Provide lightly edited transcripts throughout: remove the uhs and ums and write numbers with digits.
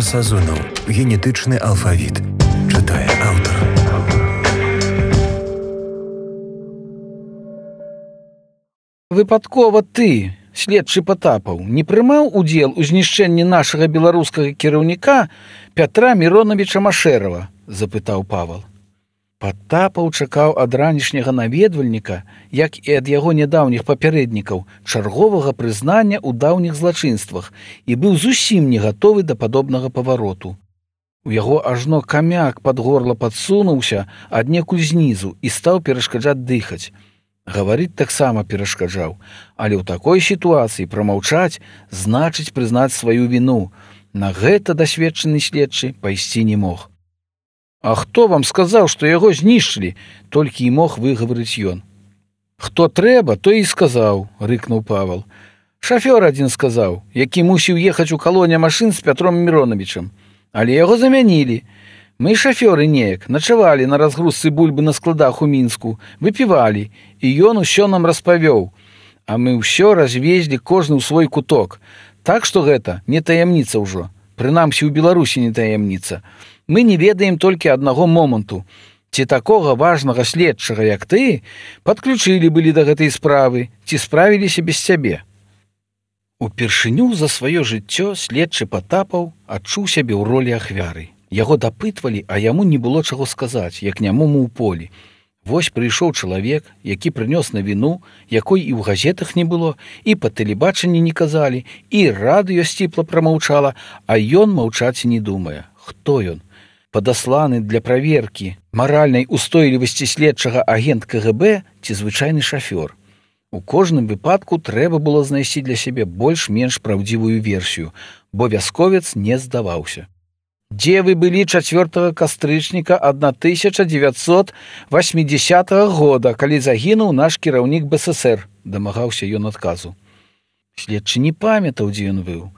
Сазонаў. Генетычны алфавіт. Чытае аўтар. Выпадкова ты, следчы Патапаў, не прымаў удзел у знішчэнні нашага беларускага кіраўніка Пятра Міроновича Машэрава? Запытаў Павал. Патапаў чакаў ад ранішняга наведвальніка, як і ад яго нядаўніх папярэднікаў, чарговага прызнання ў даўніх злачынствах і быў зусім не гатовы да падобнага павароту. У яго ажно камяк пад горла падсунуўся аднекуль знізу і стаў перашкаджаць дыхаць. Гаварыць таксама перашкаджаў, але ў такой сітуацыі прамаўчаць значыць прызнаць сваю віну. На гэта дасведчаны следчы пайсці не мог. «А хто вам сказаў, што яго знішчылі?» — толькі і мог выгаварыць ён. «Хто трэба, то і сказаў», — рыкнуў Павал. «Шафёр адзін сказаў, які мусіў ехаць у калоне машын з Пятром Міроновичам. Але яго замянілі. Мы шафёры неяк начавалі на разгрузцы бульбы на складах у Мінску, выпівалі, і ён усё нам распавёў. А мы ўсё развезлі кожны ў свой куток. Так што гэта не таямніца ўжо. Прынамсі ў Беларусі не таямніца. Мы не ведаем толькі аднаго моманту. Ці такога важнага следчага, як ты, падключылі былі да гэтай справы, ці справіліся без цябе?» Упершыню за сваё жыццё следчы Патапаў адчуў сябе ў ролі ахвяры. Яго дапытвалі, а яму не было чаго сказаць, як нямому ў полі. Вось прыйшоў чалавек, які прынёс навіну, якой і ў газетах не было, і па тэлебачанні не казалі, і радыё сціпла прамаўчала, а ён маўчаць не думае. Хто ён? Падасланы для праверкі маральнай устойлівасці следчага агент КГБ ці звычайны шафёр. У кожным выпадку трэба было знайсці для сябе больш-менш праўдзівую версію, бо вясковец не здаваўся. «Дзе вы былі 4 кастрычніка 1980 года, калі загінуў наш кіраўнік БССР?» — дамагаўся ён адказу. Следчы не памятаў, дзе ён быў.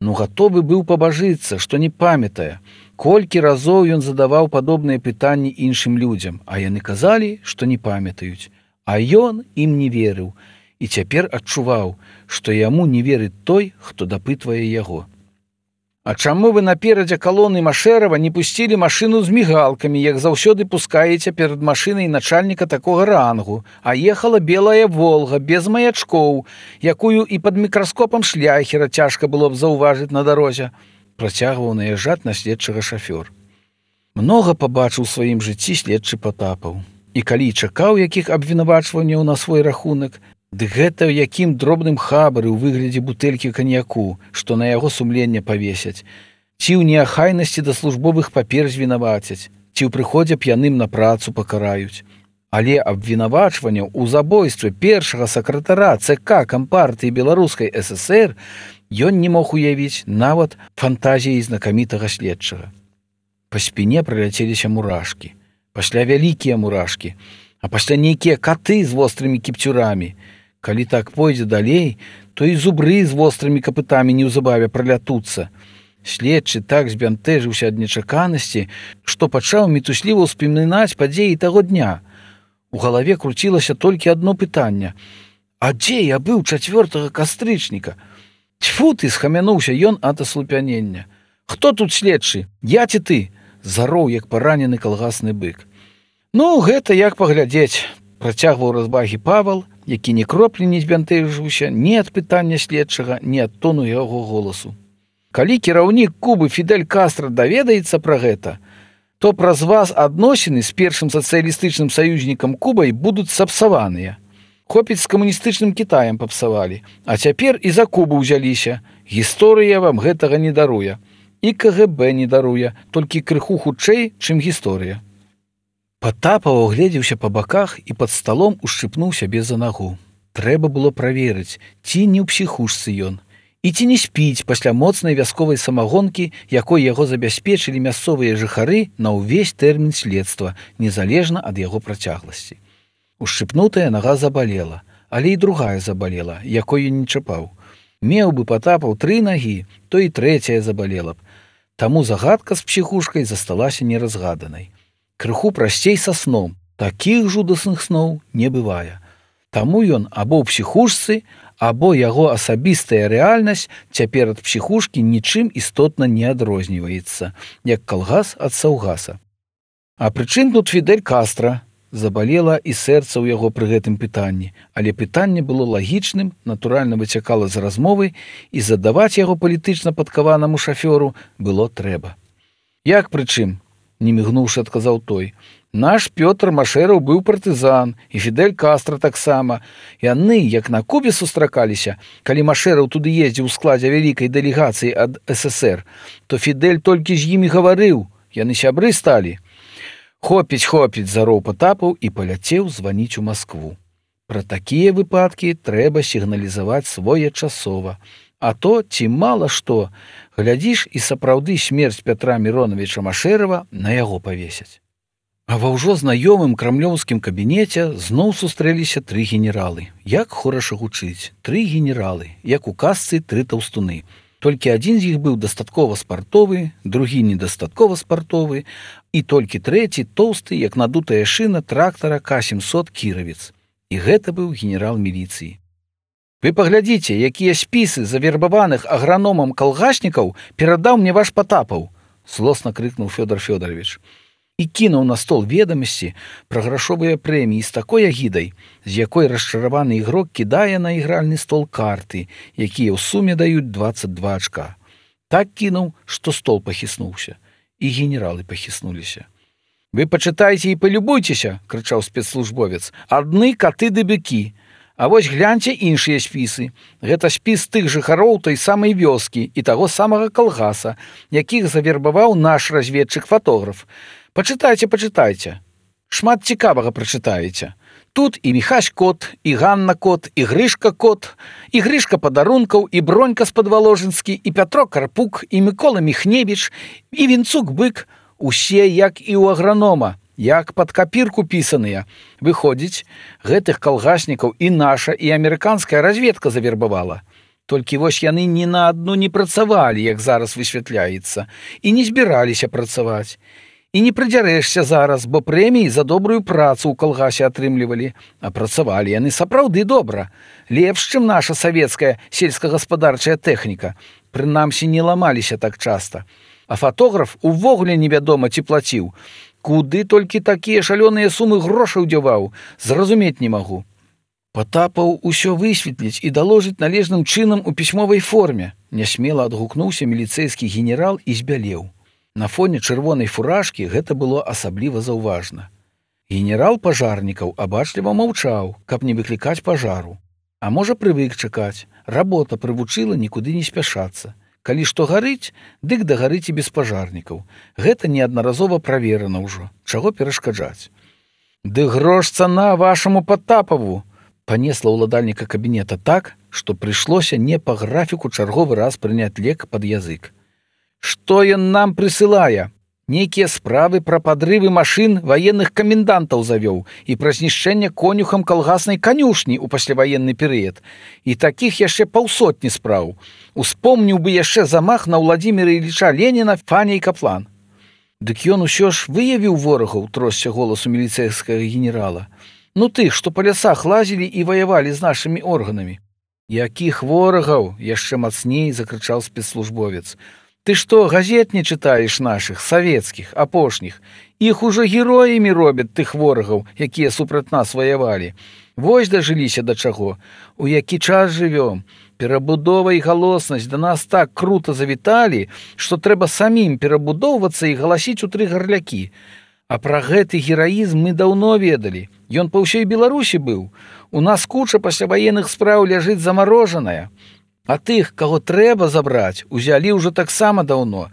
Гатовы быў пабажыцца, што не памятае. Колькі разоў ён задаваў падобныя пытанні іншым людзям, а яны казалі, што не памятаюць. А ён ім не верыў і цяпер адчуваў, што яму не верыць той, хто дапытвае яго. «А чаму вы наперадзе калоны Машэрава не пусцілі машыну з мігалкамі, як заўсёды пускаеце перад машынай начальніка такога рангу, а ехала белая «Волга» без маячкоў, якую і пад мікраскопам шляхера цяжка было б заўважыць на дарозе?» — працягваў наязджаць на следчага шафёр. Многа пабачыў у сваім жыцці следчы Патапаў. І калі чакаў якіх абвінавачванняў на свой рахунак, дык гэта ў якім дробным хабары ў выглядзе бутэлькі каньяку, што на яго сумленне павесяць, ці ў неахайнасці да службовых папер звінавацяць, ці ў прыходзе п'яным на працу пакараюць. Але абвінавачванняў у забойстве першага сакратара ЦК Кампартыі Беларускай ССР ён не мог уявіць нават фантазіяй знакамітага следчага. Па спіне праляцеліся мурашкі, пасля вялікія мурашкі, а пасля нейкія каты з вострымі кіпцюрамі. Калі так пойдзе далей, то і зубры з вострымі капытамі неўзабаве пралятуцца. Следчы так збянтэжыўся ад нечаканасці, што пачаў мітусліва ўспамінаць падзеі таго дня. У галаве круцілася толькі адно пытанне: «А дзе я быў 4 кастрычніка?» «Тьфу ты!» — схамянуўся ён ад аслупянення. «Хто тут следчы? Я ці ты?» — зароў, як паранены калгасны бык. Гэта як паглядзець», — працягваў развагі Павал, які ні кроплі не збянтэжыўся ні ад пытання следчага, ні ад тону яго голасу. «Калі кіраўнік Кубы Фідель Кастра даведаецца пра гэта, то праз вас адносіны з першым сацыялістычным саюзнікам Кубай будуць сапсаваныя. Хопіць з камуністычным Кітаем папсавалі, а цяпер і за Кубу ўзяліся. Гісторыя вам гэтага не даруе. І КГБ не даруе, толькі крыху хутчэй, чым гісторыя». Патапаў агледзеўся па баках і пад сталом ушчыпнуў сябе за нагу. Трэба было праверыць, ці не ў псіхушцы ён, і ці не спіць пасля моцнай вясковай самагонкі, якой яго забяспечылі мясцовыя жыхары на ўвесь тэрмін следства, незалежна ад яго працягласці. Ушчыпнутая нага забалела, але і другая забалела, якой ён не чапаў. Меў бы Патапаў 3 нагі, то і 3-я забалела б. Таму загадка з псіхушкай засталася неразгаданай. Крыху прасцей са сном, такіх жудасных сноў не бывае. Таму ён або ў псіхушцы, або яго асабістая рэальнасць цяпер ад псіхушкі нічым істотна не адрозніваецца, як калгас ад саўгаса. А прычым тут Фідель Кастра? Забалела і сэрца ў яго пры гэтым пытанні, але пытанне было лагічным, натуральна выцякала з размовы, і задаваць яго палітычна падкаванаму шафёру было трэба. Як прычым? Не мігнуўшы, адказаў той. Наш Пётр Машэраў быў партызан, і Фідель Кастра таксама. Яны, як на Кубе сустракаліся, калі Машэраў туды ездзіў у складзе вялікай дэлегацыі ад ССР, то Фідель толькі з імі гаварыў, яны сябры сталі. Хопіць, зароў Патапаў і паляцеў званіць у Маскву. Пра такія выпадкі трэба сігналізаваць своечасова. А то, ці мала што, глядзіш, і сапраўды смерць Пятра Міроновича Машэрава на яго павесяць. А ва ўжо знаёмым крамлёўскім кабінеце зноў сустрэліся 3 генералы. Як хораша гучыць, 3 генералы, як у казцы 3 таўстуны. Толькі адзін з іх быў дастаткова спартовы, другі недастаткова спартовы, і толькі трэці тоўсты, як надутая шына трактара К-700 кіравец. І гэта быў генерал міліцыі. Вы паглядзіце, якія спісы завербаваных аграномам калгаснікаў перадаў мне ваш Патапаў, злосна крыкнуў Фёдор Фёдорович. І кінуў на стол ведамасці пра грашовыя прэміі з такой агідай, з якой расчараваны ігрок кідае на ігральны стол карты, якія ў суме даюць 22 ачка. Так кінуў, што стол пахіснуўся, і генералы пахіснуліся. «Вы пачытайце і палюбуйцеся», – крычаў спецслужбовец, – «адны каты ды быкі. А вось гляньце іншыя спісы. Гэта спіс тых жыхароў той самай вёскі і таго самага калгаса, якіх завербаваў наш разведчык-фатограф. Пачытайце. Шмат цікавага прачытаеце. Тут і Міхась Кот, і Ганна Кот, і Грышка Кот, і Грышка Падарункаў, і Бронька Спадваложынскі, і Пятро Карпук, і Мікола Міхневіч, і Вінцук Бык. Усе як і ў агранома, як пад капірку пісаныя. Выходзіць, гэтых калгаснікаў і наша, і амерыканская разведка завербавала. Толькі вось яны ні на адну не працавалі, як зараз высвятляецца, і не збіраліся працаваць. І не прыдзярэшся зараз, бо прэміі за добрую працу ў калгасе атрымлівалі, а працавалі яны сапраўды добра, лепш, чым наша савецкая сельскагаспадарчая тэхніка. Прынамсі, не ламаліся так часта. А фатограф увогуле невядома ці плаціў. Куды толькі такія шалёныя сумы грошаў дзяваў, зразумець не магу. Патапаў усё высветліць і даложыць належным чынам у пісьмовай форме. Нясмела адгукнуўся міліцэйскі генерал і збялеў. На фоне чырвонай фуражкі гэта было асабліва заўважна. Генерал пажарнікаў абачліва маўчаў, каб не выклікаць пажару. А можа, прывык чакаць. Работа прывучыла нікуды не спяшацца. Калі што гарыць, дык дагарыць і без пажарнікаў. Гэта неаднаразова праверана ўжо. Чаго перашкаджаць? «Ды грош цана вашаму Патапаву!» Панесла ўладальніка кабінета так, што прыйшлося не па графіку чарговы раз прыняць лек пад язык. «Што ён нам прысылае? Нейкія справы пра падрывы машын ваенных камендантаў завёў і пра знішчэнне конюхам калгаснай канюшні ў пасляваенны перыяд. І такіх яшчэ 200 спраў. Успомніў бы яшчэ замах на Владзіміра Іліча Леніна Фаня і Каплан». «Дык ён усё ж выявіў ворагаў», – тросся голасу міліцэйскага генерала. «Ну тых, што па лясах лазілі і ваявалі з нашымі органамі». «Якіх ворагаў?» – яшчэ мацней закрычаў спецслужбовец. «Ты што, газет не чытаеш нашых, савецкіх, апошніх? Іх ужо героямі робяць тых ворагаў, якія супраць нас ваявалі. Вось дажыліся да чаго. У які час жывём? Перабудова і галоснасць да нас так крута завіталі, што трэба самім перабудоўвацца і галасіць у 3 гарлякі. А пра гэты гераізм мы даўно ведалі. Ён па ўсёй Беларусі быў. У нас куча пасляваенных спраў ляжыць замарожаная. А тых, каго трэба забраць, узялі ўжо таксама даўно.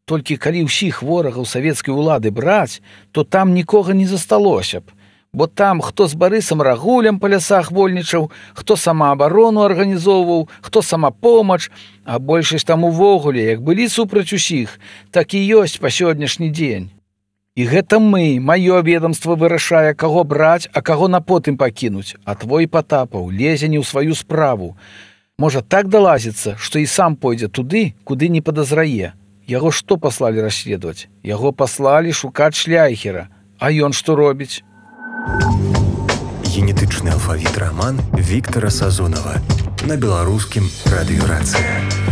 Толькі калі ўсіх ворагаў савецкай улады браць, то там нікога не засталося б. Бо там хто з Барысам Рагулем па лясах вольнічаў, хто самаабарону арганізоўваў, хто самапомач, а большасць там увогуле, як былі супраць усіх, так і ёсць па сённяшні дзень. І гэта мы, маё ведамства вырашае, каго браць, а каго на потым пакінуць, а твой Патапаў лезе не ў сваю справу. Можа, так далазіцца, што і сам пойдзе туды, куды не падазрае. Яго што паслалі расследаваць? Яго паслалі шукаць шляйхера. А ён што робіць? Генетычны алфавіт роман Віктара Сазонова. на беларускім радыёрацыі.